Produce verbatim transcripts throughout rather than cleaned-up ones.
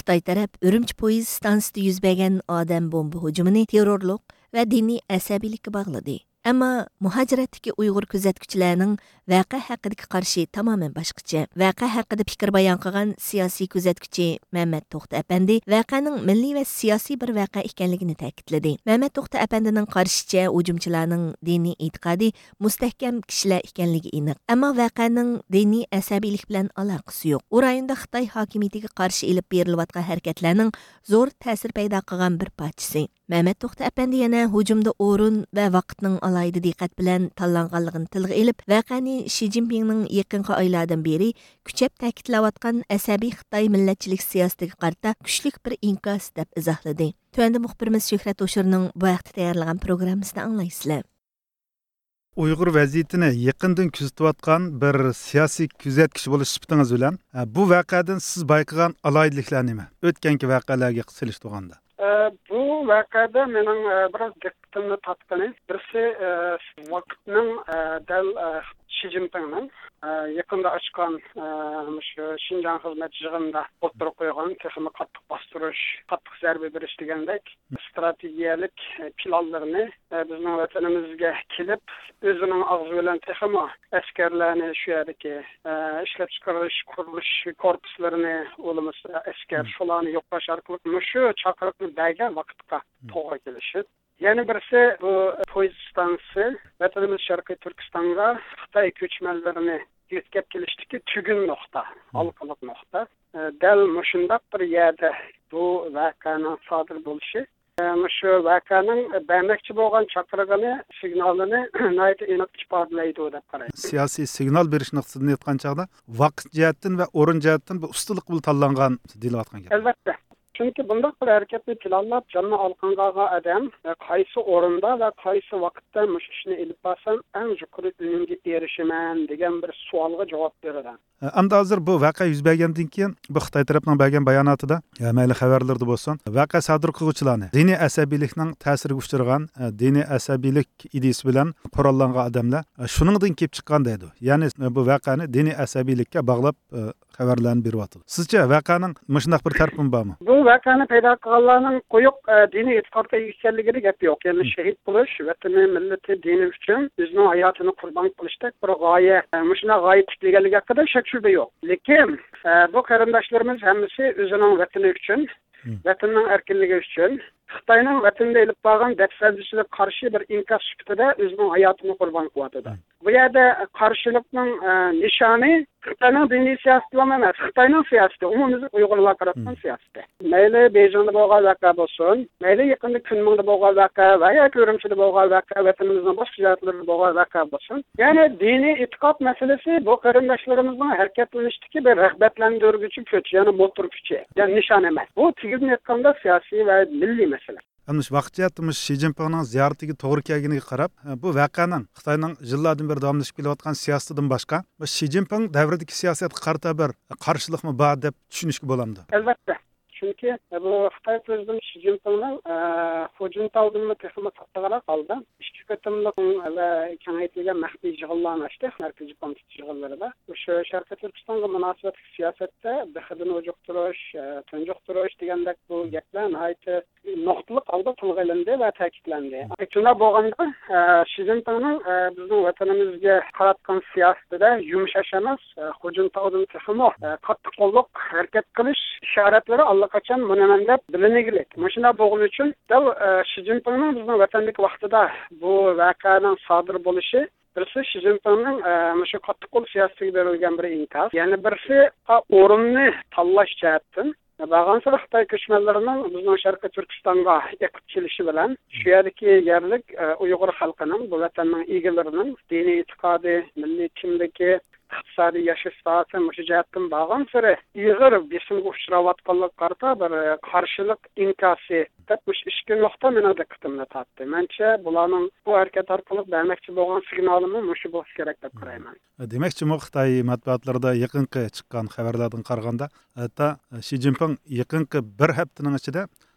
خىتاي تەرەپ ئۈرۈمچى پويىز ئىستانسىسىدا يۈز بەرگەن ئادەم بومبا ھۇجۇمىنى تېررورلۇق ۋە دىنىي ئەسەبىيلىككە باغلىدى. ئەمما مۇھاجىرەتتىكى ئۇيغۇر كۆزەتكۈچىلەرنىڭ ۋەقە ھەققىدىكى قارىشى تامامەن باشقىچە. ۋەقە ھەققىدە پىكىر بايان قىلغان سىياسىي كۆزەتكۈچى مەمەت توختى ئەپەندى ۋەقەنىڭ مىللىي ۋە سىياسىي بىر ۋەقە ئىكەنلىكىنى تەكىتلىدى. مەمەت توختى ئەپەندىنىڭ قارىشىچە، ھۇجۇمچىلارنىڭ دىنىي ئېتىقادى مۇستەھكەم كىشىلەر ئىكەنلىكى ئېنىق. ئەمما ۋەقەنىڭ دىنىي ئەسەبىيلىك بىلەن ئالاقىسى يوق. ئۇ رايوندا خىتاي ھاكىمىيىتىگە قارشى ئېلىپ بېرىلىۋاتقان ھەرىكەتلەرنىڭ زور تەسىر پەيدا قىلغان بىر پارچىسى. مەمەت توختى ئەپەندى يەنە ھۇجۇمدا ئورۇن ۋە ۋاقىتنىڭ ئالاھىدە دىققەت بىلەن تاللانغانلىقىنى تىلغا ئېلىپ، ۋەقەنى شى جىنپىڭنىڭ يېقىنقى ئايلاردىن بېرى كۈچەپ تەكىتلەۋاتقان ئەسەبىي خىتاي مىللەتچىلىك سىياسىتىگە قارىتا كۈچلۈك بىر ئىنكاس، دەپ ئىزاھلىدى. تۆۋەندە مۇخبىرىمىز شۆھرەت ھوشۇرنىڭ بۇ ھەقتە تەييارلىغان پروگراممىسىنى ئاڭلايسىلەر. ئۇيغۇر ۋەزىيىتىنى يېقىندىن كۆزىتىۋاتقان بىر سىياسىي كۆزەتكۈچى بولۇش سۈپىتىڭىز بىلەن، ئە، بۇ ۋەقەدىن سىز بايقىغان ئالاھىدىلىكلەر نېمە؟ ئۆتكەنكى ۋەقەلەرگە سېلىشتۇرغاندا. ئە، بۇ ۋەقەدە مېنىڭ، ئە، بىراز دىققىتىمنى تارتقىنى، بىرسى، ئە، ۋاقىتنىڭ، ئە، دەل، ئە، شى جىنپىڭنىڭ، ئە، يېقىندا ئاچقان، ئە، مۇشۇ شىنجاڭ خىزمەت يىغىنىدا ئوتتۇرىغا قويغان تېخىمۇ قاتتىق باستۇرۇش، قاتتىق زەربە بېرىش دېگەندەك ستراتېگىيەلىك، ئە، پىلانلىرىنى، ئە، بىزنىڭ ۋەتىنىمىزگە كېلىپ، ئۆزىنىڭ ئاغزى بىلەن تېخىمۇ ئەسكەرلەرنى شۇ يەردىكى، ئە، ئىشلەپچىقىرىش، قۇرۇلۇش كورپۇسلىرىنى، ئۇلىمىسا ئەسكەر، شۇلارنى يوقلاش ئارقىلىق مۇشۇ چاقىرىقنى بەرگەن ۋاقىتقا توغرا كېلىشى. يەنە بىرسى، بۇ پويىز ئىستانسىسى ۋەتىنىمىز شەرقىي تۈركىستانغا خىتاي كۆچمەنلىرىنى يۆتكەپ كېلىشتىكى تۈگۈن نۇقتا، ھالقىلىق نۇقتا. ئە، دەل مۇشۇنداق بىر يەردە بۇ ۋەقەنىڭ سادىر بولۇشى، ئە، مۇشۇ ۋەقەنىڭ بەرمەكچى بولغان چاقىرىقىنى، سىگنالىنى ناھايىتى ئېنىق ئىپادىلەيدۇ دەپ قارايمەن. سىياسىي سىگنال بېرىش نۇقتىسىدىن ئېيتقان چاغدا، ۋاقىت جەھەتتىن ۋە ئورۇن جەھەتتىن بۇ ئۇستىلىق بىلەن تاللانغان دېيىلىۋاتقان گەپ. ئەلۋەتتە. چۈنكى بۇنداق بىر ھەرىكەتنى پىلانلاپ، جاننى ئالقان قىلغان ئادەم، ئە، قايسى ئورۇندا ۋە قايسى ۋاقىتتا مۇشۇ ئىشنى ئېلىپ بارسام، ئەڭ يۇقىرى ئۈنۈمگە ئېرىشىمەن دېگەن بىر سوئالغا جاۋاب بېرىدۇ. ئەمدى ھازىر بۇ ۋەقە يۈز بەرگەندىن كېيىن، بۇ خىتاي تەرەپنىڭ بەرگەن باياناتىدا، يا مەيلى خەۋەرلىرىدە بولسۇن، ۋەقە سادىر قىلغۇچىلارنى، دىنىي ئەسەبىيلىكنىڭ تەسىرىگە ئۇچرىغان، دىنىي ئەسەبىيلىك ئىدىيىسى بىلەن قوراللانغان ئادەملەر، شۇنىڭدىن كېلىپ چىققان دەيدۇ. يەنى، بۇ ۋەقەنى دىنىي ئەسەبىيلىككە باغلاپ، خەۋەرلەرنى بېرىۋاتىدۇ. سىزچە ۋەقەنىڭ مۇشۇنداق بىر تەرىپىمۇ بارمۇ؟ بۇ ۋەقەنى پەيدا قىلغانلارنىڭ قويۇق، ئە، دىنىي ئېتىقادقا ئىگە ئىكەنلىكىدە گەپ يوق. يەنى مم. شېھىت بولۇش، ۋەتىنى، مىللىتى، دىنى ئۈچۈن ئۆزىنىڭ ھاياتىنى قۇربان قىلىشتەك بىر غايە، ئە، مۇشۇنداق غايە تىكلىگەنلىكى ھەققىدە شەك شۈبھە يوق. لېكىن، ئە، بۇ قېرىنداشلىرىمىز ھەممىسى ئۆزىنىڭ ۋەتىنى ئۈچۈن، مم. ۋەتىنىنىڭ ئەركىنلىكى ئۈچۈن، خىتاينىڭ ۋەتەندە ئېلىپ بارغان دەپسەندىچىلىككە قارشى بىر ئىنكاس سۈپىتىدە ئۆزىنىڭ ھاياتىنى قۇربان قىلىۋاتىدۇ. مم. بۇ يەردە قارشىلىقنىڭ، ئە، نىشانى خىتاينىڭ دىنىي سىياسىتى بىلەن ئەمەس، خىتاينىڭ سىياسىتى، ئومۇميۈزلۈك ئۇيغۇرلارغا قاراتقان مم. سىياسىتى. مەيلى بېيجىڭدا بولغان ۋەقە بولسۇن، مەيلى يېقىندا كۈنمىڭدا بولغان ۋەقە ۋە ياكى ئۈرۈمچىدە بولغان ۋەقە، ۋەتىنىمىزنىڭ باشقا جايلىرىدا بولغان ۋەقە بولسۇن. يەنى دىنىي ئېتىقاد مەسىلىسى بۇ قېرىنداشلىرىمىزنىڭ ھەرىكەتلىنىشتىكى بىر رىغبەتلەندۈرگۈچى كۈچ، يەنى موتور كۈچى، يەنى نىشان ئەمەس. بۇ تېگىدىن ئېيتقاندا سىياسىي ۋە مىللىي مەسىلە. ئەمدى شۇ ۋاقىت جەھەتتە مۇشۇ شى جىنپىڭنىڭ زىيارىتىگە توغرا كەلگىنىگە قاراپ، بۇ ۋەقەنىڭ خىتاينىڭ يىللاردىن بېرى داۋاملىشىپ كېلىۋاتقان سىياسىتىدىن باشقا، شى جىنپىڭ دەۋرىدىكى سىياسەتكە قارىتا بىر قارشىلىقمۇ بار دەپ چۈشىنىشكە بولامدۇ؟ ئەلۋەتتە. چۈنكى بۇ خىتاي پىرېزىدېنتى شى جىنپىڭنىڭ، ئە، خۇجىنتاۋدىنمۇ تېخىمۇ قاتتىقراق ھالدا ئىككى قېتىملىق ۋە كېڭەيتىلگەن مەخپىي يىغىنلارنى ئاچتى مەركىزىي كومىتېت يىغىنلىرىدا. مۇشۇ شەرقىي تۈركىستانغا مۇناسىۋەتلىك سىياسەتتە بىخىدىن ئۇجۇقتۇرۇش، ئە، تۇنجۇقتۇرۇش دېگەندەك بۇ گەپلەر ناھايىتى نۇقتىلىق ھالدا تىلغا ئېلىندى ۋە تەكىتلەندى. شۇنداق بولغاندا، ئە، شى جىنپىڭنىڭ، ئە، بىزنىڭ ۋەتىنىمىزگە قاراتقان سىياسىتىدە يۇمشاش ئەمەس، ئە، خۇجىنتاۋدىن تېخىمۇ، ئە، قاتتىققوللۇق ھەرىكەت قىلىش ئىشارەتلىرى ئاللىقاچان مۇنۇمەن دەپ بىلىنگىلىك. مۇشۇنداق بولغىنى ئۈچۈن دەل، ئە، شى جىنپىڭنىڭ بىزنىڭ ۋەتەندىكى ۋاقتىدا بۇ ۋەقەنىڭ سادىر بولۇشى بىرسى شى جىنپىڭنىڭ، ئە، مۇشۇ قاتتىققول سىياسىتىگە بېرىلگەن بىر ئىنكاس. يەنە بىرسى، ئا، ئورۇننى تاللاش جەھەتتىن. بارغانسېرى خىتاي كۆچمەنلىرىنىڭ بىزنىڭ شەرقىي تۈركىستانغا ئېقىپ كېلىشى بىلەن، شۇ يەردىكى يەرلىك، ئە، ئۇيغۇر خەلقىنىڭ، بۇ ۋەتەننىڭ ئىگىلىرىنىڭ دىنىي ئېتىقادى، مىللىي كىملىكى، ئىقتىسادىي ياشاش ساھەسى مۇشۇ جەھەتتىن بارغانسېرى ئېغىر بېسىمغا ئۇچراۋاتقانلىقىغا قارىتا بىر، ئە، قارشىلىق ئىنكاسى دەپ مۇشۇ ئىككى نۇقتا مېنىڭ دىققىتىمنى تارتتى. مەنچە، بۇلارنىڭ بۇ ھەرىكەت ئارقىلىق بەرمەكچى بولغان سىگنالىمۇ مۇشۇ بولسا كېرەك دەپ قارايمەن. دېمەكچى، مۇ-، خىتاي مەتبۇئاتلىرىدا يېقىنقى چىققان خەۋەرلەردىن قارىغاندا، ھەتتا شى جىنپىڭ يېقىنقى بىر ھەپتىنىڭ ئىچىدە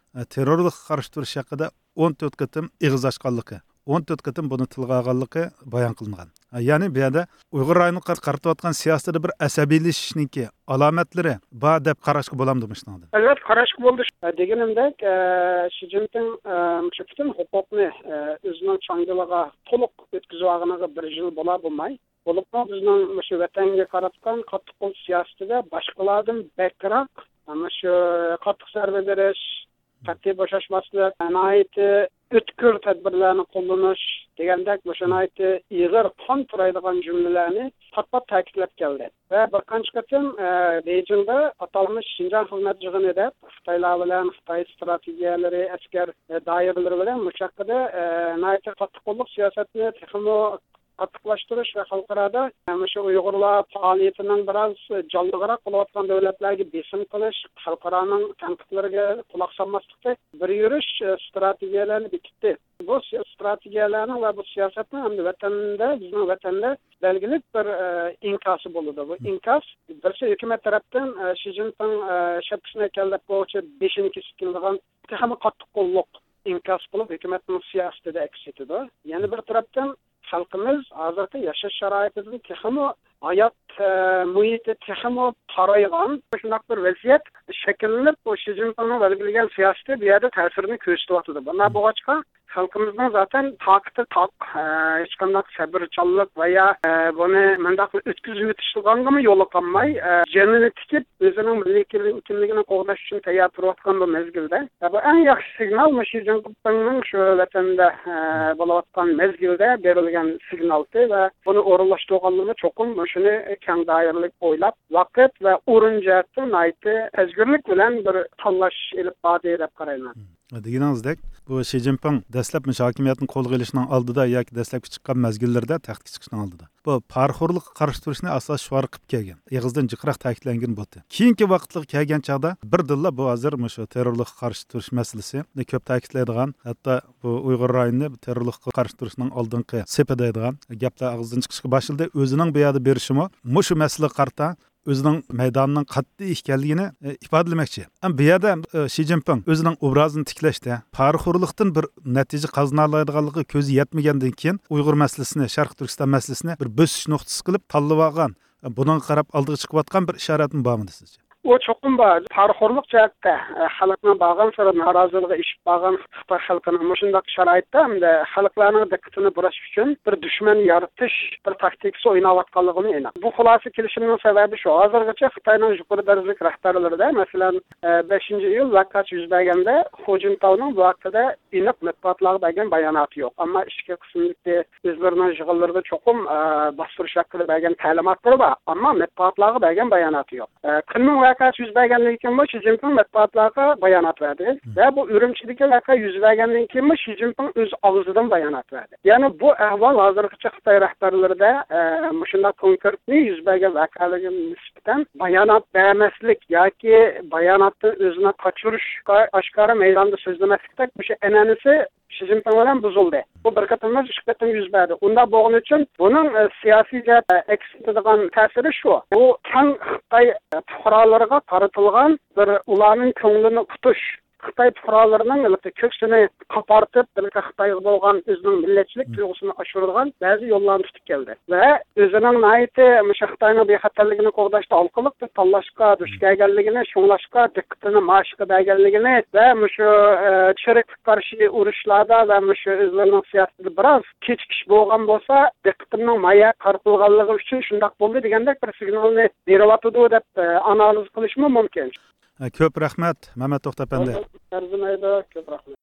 تېررورلۇققا قارشى تۇرۇش ھەققىدە ئون تۆت قېتىم ئېغىز ئاچقانلىقى، ئون تۆت قېتىم بۇنى تىلغا ئالغانلىقى بايان قىلىنغان. يەنى بۇ يەردە ئۇيغۇر رايونىغا قار-، قارىتىۋاتقان سىياسىتىدە بىر ئەسەبىيلىشىشنىڭكى ئالامەتلىرى بار دەپ قاراشقا بولامدۇ مۇشۇنىڭدىن؟ ئەلۋەتتە، قاراشقا بولىدۇ. دېگىنىمدەك، ئە، شى جىنپىڭ، ئە، مۇشۇ پۈتۈن ھوقۇقنى، ئە، ئۆزىنىڭ چاڭگىلىغا تولۇق ئۆتكۈزۈۋالغىنىغا بىر يىل بولا بولماي، بولۇپمۇ بىزنىڭ مۇشۇ ۋەتەنگە قاراتقان قاتتىق قول سىياسىتىدە باشقىلاردىن بەكرەك، مۇشۇ قاتتىق زەربە بېرىش، قەتئىي بوشاشماسلىق، ناھايىتى ئۆتكۈر تەدبىرلەرنى قوللىنىش دېگەندەك، مۇشۇ ناھايىتى ئېغىر قان پۇرايدىغان جۈملىلەرنى پات-پات تەكىتلەپ كەلدى. ۋە بىر قانچە قېتىم، ئە، بېيجىڭدا ئاتالمىش شىنجاڭ خىزمەت يىغىنى دەپ خىتايلار بىلەن، خىتاي ئىستراتېگىيەلىرى، ئەسكەر، ئە، دائىرىلىرى بىلەن مۇشۇ ھەققىدە، ئە، ناھايىتى قاتتىق قوللۇق سىياسەتنى تېخىمۇ قاتتىقلاشتۇرۇش ۋە خەلقئارادا، ئە، مۇشۇ ئۇيغۇرلار پائالىيىتىنىڭ بىراز جانلىقراق بولۇۋاتقان دۆلەتلەرگە بېسىم قىلىش، خەلقئارانىڭ تەنقىدلىرىگە قۇلاق سالماسلىقتەك بىر يۈرۈش، ئە، ئىستراتېگىيەلەرنى بېكىتتى. بۇ س-، ئىستراتېگىيەلەرنىڭ ۋە بۇ سىياسەتنىڭ ئەمدى ۋەتەندە، بىزنىڭ ۋەتەندە بەلگىلىك بىر، ئە، ئىنكاسى بولىدۇ. بۇ ئىنكاس بىرسى ھۆكۈمەت تەرەپتىن، ئە، شى جىنپىڭ، ئە، شەپكىسىنى ئەكەل دەپ بولغۇچە بېشىنى كېسىپ كېلىدىغان تېخىمۇ قاتتىق قوللۇق ئىنكاس بولۇپ، ھۆكۈمەتنىڭ سىياسىتىدە ئەكس ئېتىدۇ. يەنە بىر تەرەپتىن، خەلقىمىز ھازىرقى ياشاش شارائىتىدىن تېخىمۇ ھايات، ئە، مۇھىتى تېخىمۇ تارايغان، شۇنداق بىر ۋەزىيەت شەكىللىنىپ، بۇ شى جىنپىڭنىڭ بەلگىلىگەن سىياسىتى بۇ يەردە تەسىرىنى كۆرسىتىۋاتىدۇ. بۇنداق بولغاچقا، خەلقىمىزنىڭ زاتەن تاقىتى تاق، ئە، ھېچقانداق سەۋرچانلىق ۋە يا، ئە، بۇنى مۇنداقلا ئۆتكۈزۈۋېتىشىدىغانغىمۇ يولى قالماي، ئە، جېنىنى تىكىپ، ئۆزىنىڭ مىللىي كىملىكىنى قوغداش ئۈچۈن تەييار تۇرۇۋاتقان بۇ مەزگىلدە، ئە، بۇ ئەڭ ياخشى سىگنال مۇشۇ شى جىنپىڭنىڭ شۇ ۋەتەندە، ئە، بولۇۋاتقان مەزگىلدە بېرىلگەن سىگنالتى ۋە بۇنى ئورۇنلاشتۇرغانلىرىمۇ چوقۇم مۇشۇنى كەڭ دائىرىلىك ئويلاپ، ۋاقىت ۋە ئورۇن جەھەتتە ناھايىتى سەزگۈرلۈك بىلەن بىر تاللاش ئېلىپ باردى دەپ قارايمەن. دېگىنىڭىزدەك، بۇ شى جىنپىڭ دەسلەپ مۇشۇ ھاكىمىيەتنى قولغا ئېلىشنىڭ ئالدىدا ياكى دەسلەپكى چىققان مەزگىللىرىدە، تەختكە چىقىشنىڭ ئالدىدا، بۇ پارىخورلۇققا قارشى تۇرۇشنى ئاساس شوئار قىلىپ كەلگەن، ئېغىزدىن جىقراق تەكىتلەنگەن بولدى. كېيىنكى ۋاقىتلىق كەلگەن چاغدا بىردىنلا بۇ ھازىر مۇشۇ تېررورلۇققا قارشى تۇرۇش مەسىلىسىنى كۆپ تەكىتلەيدىغان، ھەتتا بۇ ئۇيغۇر رايونىنى تېررورلۇققا قارشى تۇرۇشنىڭ ئالدىنقى سېپى دەيدىغان گەپلەر ئاغزىدىن چىقىشقا باشلىدى. ئۆزىنىڭ بۇ يەردە بېرىشىمۇ مۇشۇ مەسىلىگە قارىتا ئۆزىنىڭ مەيدانىنىڭ قەتئىي ئىكەنلىكىنى، ئە، ئىپادىلىمەكچى. ئەمما بۇ يەردە، ئە، شى جىنپىڭ ئۆزىنىڭ ئوبرازىنى تىكلەشتە، پارىخورلۇقتىن بىر نەتىجە قازىنالايدىغانلىقىغا كۆزى يەتمىگەندىن كېيىن، ئۇيغۇر مەسىلىسىنى، شەرقىي تۈركىستان مەسىلىسىنى بىر بۆسۈش نۇقتىسى قىلىپ تاللىۋالغان، ئە، بۇنىڭغا قاراپ ئالدىغا چىقىۋاتقان بىر ئىشارەتمۇ بارمىدى سىزچە؟ ئۇ چوقۇم بار. پارىخورلۇق جەھەتتە، ئە، خەلقنىڭ بارغانسېرى نارازىلىقى ئېشىپ بارغان خىتاي خەلقىنىڭ مۇشۇنداق شارائىتتا ئەمدى خەلقلەرنىڭ دىققىتىنى بۇراش ئۈچۈن بىر دۈشمەن يارىتىش بىر تاكتىكىسى ئويناۋاتقانلىقىمۇ ئېنىق. بۇ خۇلاسە كېلىشىمنىڭ سەۋەبى شۇ. ھازىرغىچە خىتاينىڭ يۇقىرى دەرىجىلىك رەھبەرلىرىدە، مەسىلەن، ئە، بەشىنچى ئىيۇل ۋەقەسى يۈز بەرگەندە خۇ جىنتاۋنىڭ بۇ ھەققىدە ئېنىق مەتبۇئاتلارغا بەرگەن باياناتى يوق. ئەمما ئىچكى قىسىمدىكى ئۆزلىرىنىڭ يىغىنلىرىدا چوقۇم، ئە، باستۇرۇش ھەققىدە بەرگەن تەلىماتلىرى بار، ئەمما مەتبۇئاتلارغا بەرگەن باياناتى يوق. ئە، قىمنىڭ ۋەقەسى يۈز بەرگەندىن كېيىنمۇ شى جىنپىڭ مەتبۇئاتلارغا بايانات بەردى. ۋە بۇ ئۈرۈمچىدىكى ۋەقە يۈز بەرگەندىن كېيىنمۇ شى جىنپىڭ ئۆز ئاغزىدىن بايانات بەردى. يەنى بۇ ئەھۋال ھازىرغىچە خىتاي رەھبەرلىرىدە، ئە، مۇشۇنداق كونكرېتنى يۈز بەرگەن ۋەقەلەرگە نىسبەتەن بايانات بەرمەسلىك ياكى باياناتتىن ئۆزىنى قاچۇرۇش، ئاشكارا مەيداندا سۆزلىمەسلىكتەك مۇشۇ ئەنئەنىسى شى جىنپىڭ بىلەن بۇزۇلدى. بۇ بىر قېتىم ئەمەس، ئۈچ قېتىم يۈز بەردى. ئۇنداق بولغىنى ئۈچۈن بۇنىڭ، ئە، سىياسىي جەھەتتە ئەكس ئېتىدىغان تەسىرى شۇ. بۇ تەڭ خىتاي، ئە، پۇقرالىرىغا قارىتىلغان بىر ئۇلارنىڭ كۆڭلىنى ئۇتۇش، خىتاي پۇقرالىرىنىڭ ھېلىقى كۆكسىنى قاپارتىپ، ھېلىقى خىتايغا بولغان ئۆزىنىڭ مىللەتچىلىك تۇيغۇسىنى ئاشۇرىدىغان بەزى يوللارنى تۇتۇپ كەلدى. ۋە ئۆزىنىڭ ناھايىتى مۇشۇ خىتاينىڭ بىخەتەرلىكىنى قوغداشتا ھالقىلىق بىر تاللاشقا دۇچ كەلگەنلىكىنى، شۇڭلاشقا دىققىتىنى ماشىقا بەرگەنلىكىنى ۋە مۇشۇ، ئە، چىرىكلىككە قارشى ئۇرۇشلاردا ۋە مۇشۇ ئۆزلىرىنىڭ سىياسىتىدە بىراز كېچىكىش بولغان بولسا، دىققىتىمنىڭ مايا قارىتىلغانلىقى ئۈچۈن شۇنداق بولدى دېگەندەك بىر سىگنالنى بېرىۋاتىدۇ دەپ، ئە، ئانالىز قىلىشمۇ مۇمكىن. ئە، كۆپ رەھمەت، مەمەت توختى ئەپەندى. ئەرزىمەيدۇ، كۆپ رەھمەت.